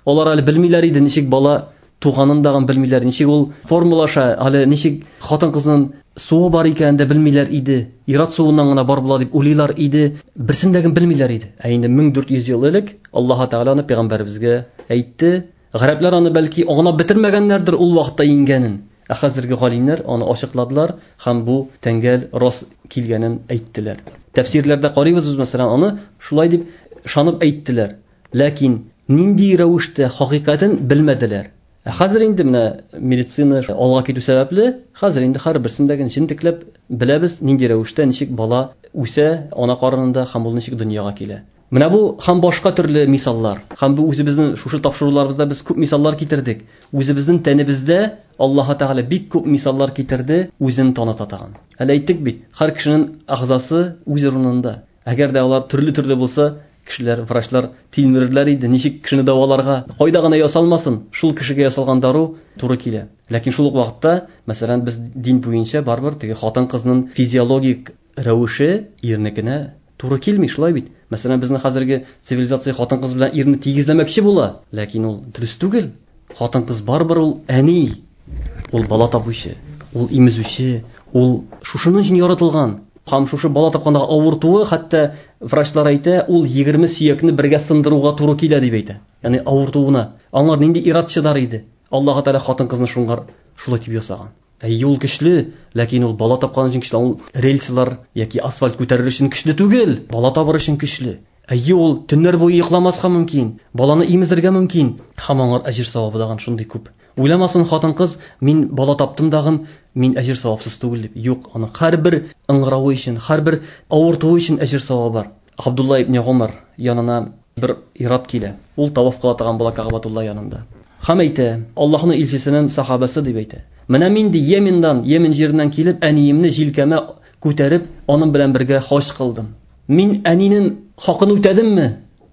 алар әле белмиләр иде ничек бала туганын дагын белмиләр, ничек ул формалаша, әле ничек хатын-кызның суы бар икәнен дә белмиләр иде. Ират суыннан гына бар була дип уйлыйлар иде. Берсен дә белмиләр иде. Ә инде мең дүрт йөз ел элек Аллаһ Тәгалә аны пәйгамбәребезгә әйтте. Гарәпләр аны бәлки аңлап бетермәгәннәрдер ул вакытта иңгәнен. Ә хәзерге галимнәр аны ачыкладылар һәм бу тәңгәл рас килгәнен әйттеләр. Тәфсирләрдә карыйбыз без, мәсәлән, аны шулай дип ышанып әйттеләр. Ләкин нинди рәвештә хакыйкатен белмәделәр. Ә хәзер инде менә медицина алга китү сәбәпле, хәзер инде һәрберсендәге җентекләп беләбез нинди рәвештә ничек бала үсә ана карынында һәм ул ничек дөньяга килә. Менә бу һәм башка төрле мисаллар. Һәм бу үзебезнең шушы тапшыруларыбызда без күп мисаллар китердек. Үзебезнең тәнебездә Аллаһ Тәгалә бик күп мисаллар китерде, үзен таныта тагын. Әле әйттек бит, һәр кешенең әгъзасы үз урынында. Әгәр дә алар төрле-төрле булса, кешеләр, врачлар тилмерерләр иде, ничек кешене дәваларга, кайда гына ясалмасын, шул кешегә ясалган дару туры килә. Ләкин шул ук вакытта, мәсәлән, без дин буенча барыбер теге хатын-кызның физиологик рәвеше ирнекенә туры килми, шулай бит. Мәсәлән, безнең хәзерге цивилизация хатын-кыз белән ирне тигезләмәкче була, ләкин ул дөрес түгел. Хатын-кыз барыбер ул әни, ул бала табучы, ул имезүче, ул шушының өчен яратылган. Һәм шушы бала тапканда авыртуы, хәтта врачлар әйтә, ул егерме сөякне бергә сындыруга туры килә дип әйтә. Ягъни авыртуына. Аңар нинди ират чыдар иде. Аллаһ Тәгалә хатын-кызны шуңар шулай дип ясаган. Әй, ул көчле, ләкин ул бала тапкан өчен көчле, ул рельслар яки асфальт күтәрер өчен көчле түгел, бала табыр өчен көчле. Әй, ул төннәр буе йокламаска мөмкин, баланы имезергә мөмкин. Һәм аңар әҗер савабы дагын шундый күп. Уйламасын хатын-кыз, мин бала таптым дагын, мин әҗер савапсыз түгел дип. Юк, аның һәрбер ыңгыравы өчен, һәрбер авыртуы өчен әҗер савабы бар. Абдулла ибн Гумар янына бер ират килә. Ул таваф кыла торган була Кәгъбәтулла янында. Һәм әйтә, Аллаһның илчесенең сахабасы дип әйтә. Менә мин ди Йеменнән, Йемен җиреннән килеп, әниемне җилкәмә күтәреп, аның белән бергә хаҗ кылдым. Мин әнинең хакын үтәдемме?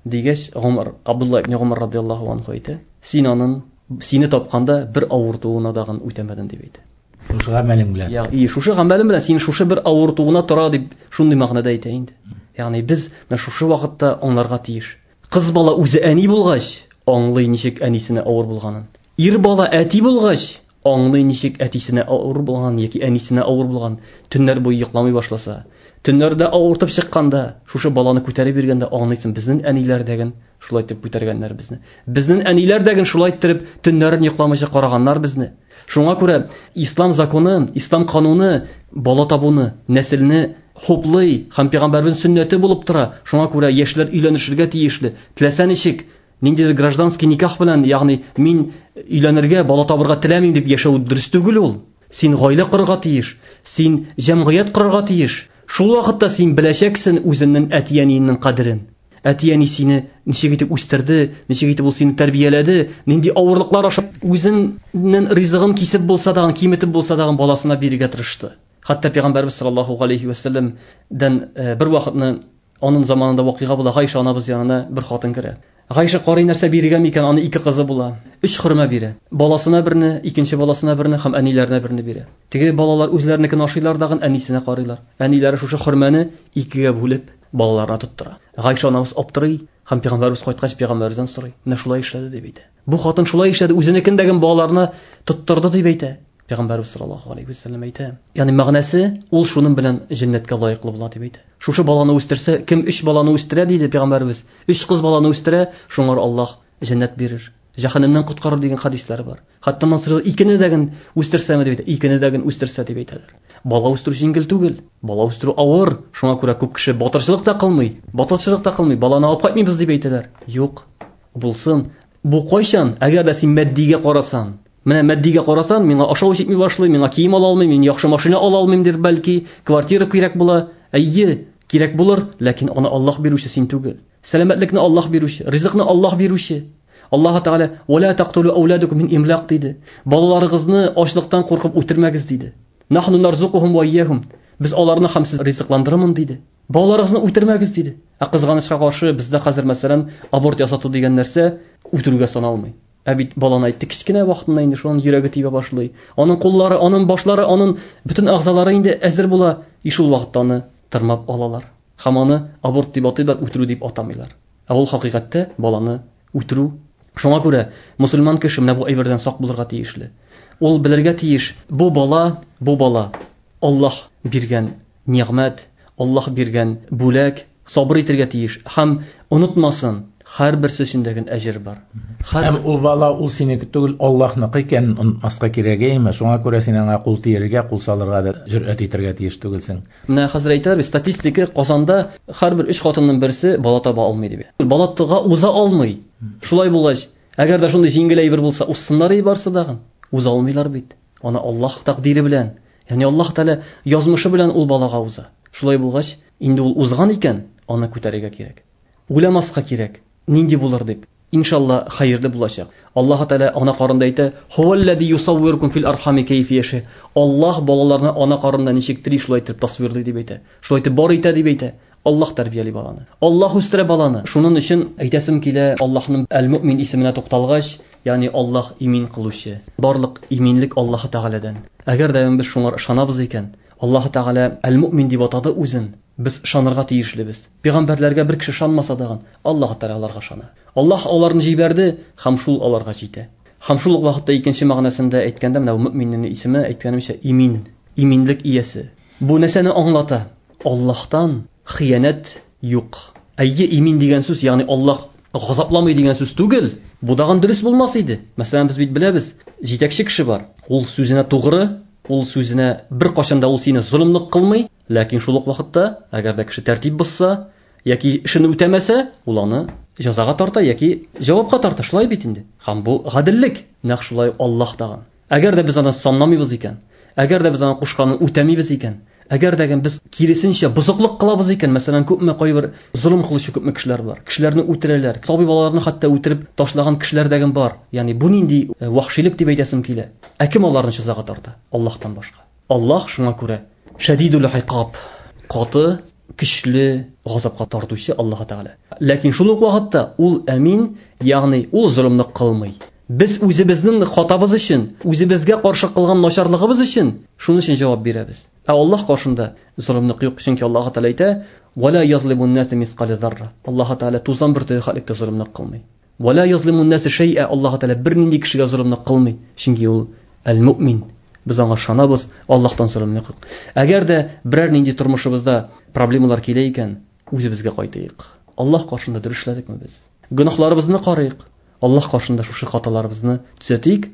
Дигәч, Гумар, Абдулла ибн Гумар радияллаһу анху әйтә, син аның сине тапканда бер авыртуына дагын үтәмәдең дип әйтә. Шушы гамәлең белән. Я, и шушы гамәлең белән син шушы бер авыртуына тора дип шундый мәгънәдә әйтә инде. Ягъни без менә шушы вакытта аңларга тиеш. Кыз бала үзе әни булгач, аңлый ничек әнисенә авыр булганын. Ир бала әти булгач, аңлый ничек әтисенә авыр булган яки әнисенә авыр булган. Төннәр буе йокламый башласа, төннәрдә авыртып чыкканда, шушы баланы күтәреп йөргәндә аңлыйсың, безнең әниләр дәген шулай итеп күтәргәннәр безне. Безнең әниләр дәген шулай иттереп төннәрен йокламыйча караганнар безне. Шуңа күрә ислам законы, ислам кануны бала табуны, нәселне хуплый һәм пәйгамбәрнең сөннәте булып тора. Шуңа күрә яшьләр өйләнешергә тиешле. Теләсә ничек, ниндидер гражданский никах белән, ягъни мин өйләнергә, бала табырга теләмим дип яшәү дөрес түгел ул. Син гаилә корырга тиеш, син җәмгыять корырга тиеш. Шул вакытта син беләчәксең үзеңнең әти-әниеңнең кадерен. Әти-әни сине ничек итеп үстерде, ничек итеп ул сине тәрбияләде, нинди авырлыклар аша үзенең ризыгын кисеп булса да, киметеп булса да баласына бирергә тырышты. Хәтта пәйгамбәрбез саллаллаһу алейхи ва сәлләмдән бер вакытны аның заманында вакыйга була, Гайша анабыз янына бер хатын керә. Гайша карый нәрсә бирергә микән, аны ике кызы була. Өч хөрмә бирә. Баласына берне, икенче баласына берне һәм әниләренә берне бирә. Теге балалар үзләренекен ашыйлар дагын әнисенә карыйлар. Әниләре шушы хөрмәне икегә бүлеп балаларына тоттыра. Гайша анабыз аптырый һәм пәйгамбәрбез кайткач пәйгамбәребездән сорый. Менә шулай эшләде дип әйтә. Бу хатын шулай эшләде, үзенекен дәген балаларына тоттырды дип әйтә. Пәйгамбәрбез саллаллаһу алейхи ва сәлләм әйтә. Ягъни мәгънәсе ул шуның белән җәннәткә лаеклы була дип әйтә. Шушы баланы үстерсә, кем өч баланы үстерә диде пәйгамбәрбез. Өч кыз баланы үстерә, шуңар Аллаһ җәннәт бирер. Җәһәннәмнән коткарыр дигән хадисләр бар. Хәтта аннан сорый, икене дәген үстерсәме дип әйтә. Икене дәген үстерсә дип әйтәләр. Бала үстерү җиңел түгел. Бала үстерү авыр. Шуңа күрә күп кеше батырчылык та кылмый. Батырчылык та кылмый. Баланы алып кайтмыйбыз дип әйтәләр. Юк, булсын. Бу кайчан? Әгәр дә син матдигә карасан, менә матдигә карасан, миңа ашау җитми башлый, миңа кием ала алмыйм, мин яхшы машина ала алмыйм дип бәлки, квартира кирәк була. Әйе, кирәк булыр, ләкин аны Аллаһ бирүче син түгел. Сәламәтлекне Аллаһ бирүче, ризыкны Аллаһ бирүче. Аллаһ Тәгалә: "Ва ла тақтулу ауладукум мин имлак" диде. Балаларыгызны ачлыктан куркып үтермәгез диде. Нахну нарзукухум ва ияхум. Без аларны һәм сез ризыкландырырмын диде. Балаларыгызны үтермәгез диде. Ә кызганычка каршы бездә хәзер мәсәлән аборт ясату дигән нәрсә үтерүгә саналмый. Ә бит баланы әйтте кечкенә вакытында инде шуның йөрәге тибә башлый. Аның куллары, аның башлары, аның бөтен әгъзалары инде әзер була. И шул вакытта аны тырмап алалар. Һәм аны аборт дип атыйлар, үтерү дип атамыйлар. Ә ул хакыйкатьтә баланы үтерү. Шуңа күрә мусульман кеше менә бу әйбердән сак булырга тиешле. Ул белергә тиеш, бу бала, бу бала Аллаһ биргән нигъмәт, Аллаһ биргән бүләк, сабыр итәргә тиеш һәм онытмасын, һәрберсе өчен дә әҗер бар. Һәм ул бала ул синеке түгел, Аллаһныкы икәнен онытмаска кирәк әйме? Шуңа күрә син аңа кул тияргә, кул салырга да җөрьәт итәргә тиеш түгелсең. Менә хәзер әйтәләр, статистика Казанда һәрбер өч хатынның берсе бала таба алмый дип. Бала тыга уза алмый. Шулай булгач, әгәр дә шундый җиңел әйбер булса, узсыннар и барсы дагын. Уза алмыйлар бит. Аны Аллаһ тәкъдире белән, ягъни Аллаһ Тәгалә язмышы белән ул балага уза. Шулай булгач, инде ул узган икән, аны күтәрергә кирәк. Уйламаска кирәк, нинди булыр дип. Иншалла хәерле булачак. Аллаһ Тәгалә ана карында әйтә: "Хуваллади юсаввиркум фил архами кайфа яша". Аллаһ балаларны ана карында ничек тери шулай итеп тасвирлый дип әйтә. Шулай итеп бар итә дип әйтә. Аллаһ тәрбияли баланы. Аллаһ үстерә баланы. Шуның өчен әйтәсем килә, Аллаһның Әл-Муъмин исеменә тукталгач, ягъни Аллаһ имин кылучы. Барлык иминлек Аллаһ Тәгаләдән. Әгәр дә без шуңа ышанабыз икән, Аллаһ Тәгалә Әл-Муъмин дип атады үзен. Без ышанырга тиешлебез. Пәйгамбәрләргә бер кеше ышанмаса да, Аллаһ Тәгалә аларга ышана. Аллаһ аларны җибәрде һәм шул аларга җитә. Һәм шул ук вакытта икенче мәгънәсендә әйткәндә, менә мөминнең исеме әйткәнемчә имин, иминлек иясе. Бу нәрсәне аңлата? Аллаһтан хыянәт юк. Әйе, имин дигән сүз, ягъни Аллаһ газапламый дигән сүз түгел. Бу дагын дөрес булмас иде. Мәсәлән, без бит беләбез, җитәкче кеше бар. Ул сүзенә тугры, ул сүзенә бер кашан да ул сине золымлык кылмый, ләкин шул ук вакытта, әгәр дә кеше тәртип бозса яки эшен үтәмәсә, ул аны җәзага тарта яки җавапка тарта. Шулай бит инде. Һәм бу гаделлек. Нәкъ шулай Аллаһ тагын. Әгәр дә без аны санламыйбыз икән, әгәр дә без аны кушканын үтәмибез икән, әгәр дә без киресенчә бозыклык кылабыз икән, мәсәлән, күпме кайбер золым кылучы күпме кешеләр бар. Кешеләрне үтерәләр, сабый балаларны хәтта үтереп ташлаган кешеләр дә бар. Ягъни бу нинди вахшилек дип әйтәсем килә. Ә кем аларны җәзага тарта? Аллаһтан башка. Аллаһ шуңа күрә шәдидул икаб, каты, көчле газапка тартучы Аллаһ Тәгалә. Ләкин шул ук вакытта ул әмин, ягъни ул золымлык кылмый. Без үзебезнең хатабыз өчен, үзебезгә каршы кылган начарлыгыбыз өчен шуның өчен җавап бирәбез. Ә Аллаһ каршында золымлык юк, чөнки Аллаһ Тәгалә әйтә: "Ва ла язлимун наса мисқала зарра". Аллаһ Тәгалә тузан бөртеге хәтлек тә золымлык кылмый. Ва ла язлимун наса шәй'a. Аллаһ Тәгалә бернинди кешегә золымлык кылмый, чөнки ул әл-муъмин. Без аңа ышанабыз, Аллаһтан золымлык юк. Әгәр дә берәр нинди тормышыбызда проблемалар килә икән, үзебезгә кайтыйк. Аллаһ каршында дөрес эшләдекме без? Гөнаһларыбызны карыйк. Аллаһ каршында шушы хаталарыбызны төзәтик,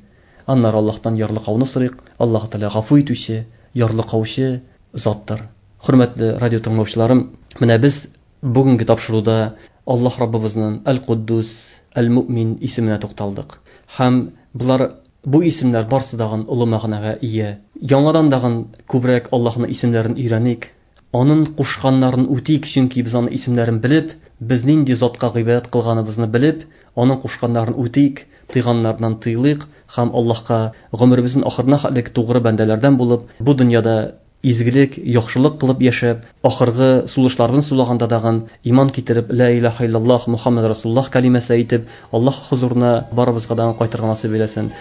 аннары Аллаһтан ярлыкауны сорыйк. Аллаһ Тәгалә гафу итүче, ярлыкаучы заттыр. Хөрмәтле радио тыңлаучыларым, менә без бүгенге тапшыруда Аллаһ Раббыбызның Әл-Куддус, Әл-Муъмин исеменә тукталдык. Һәм булар бу исемнәр барсы дагын олы мәгънәгә ия. Яңадан дагын күбрәк Аллаһның исемнәрен өйрәник, аның кушканнарын үтик, чөнки без аның исемнәрен белеп, без нинди затка гыйбадәт кылганыбызны белеп, аның кушканнарын үтик, тыйганнарыннан тыйлыйк һәм Аллаһка гомеребезнең ахырына хәтлек тугры бәндәләрдән булып, бу дөньяда изгелек, яхшылык кылып яшәп, ахыргы сулышларыбызны сулаганда дагын иман китереп, ла илаһа иллаллаһ Мухаммад расулуллаһ калимәсе әйтеп, Аллаһ хузурына барыбызга да кайтырга насыйп әйләсен.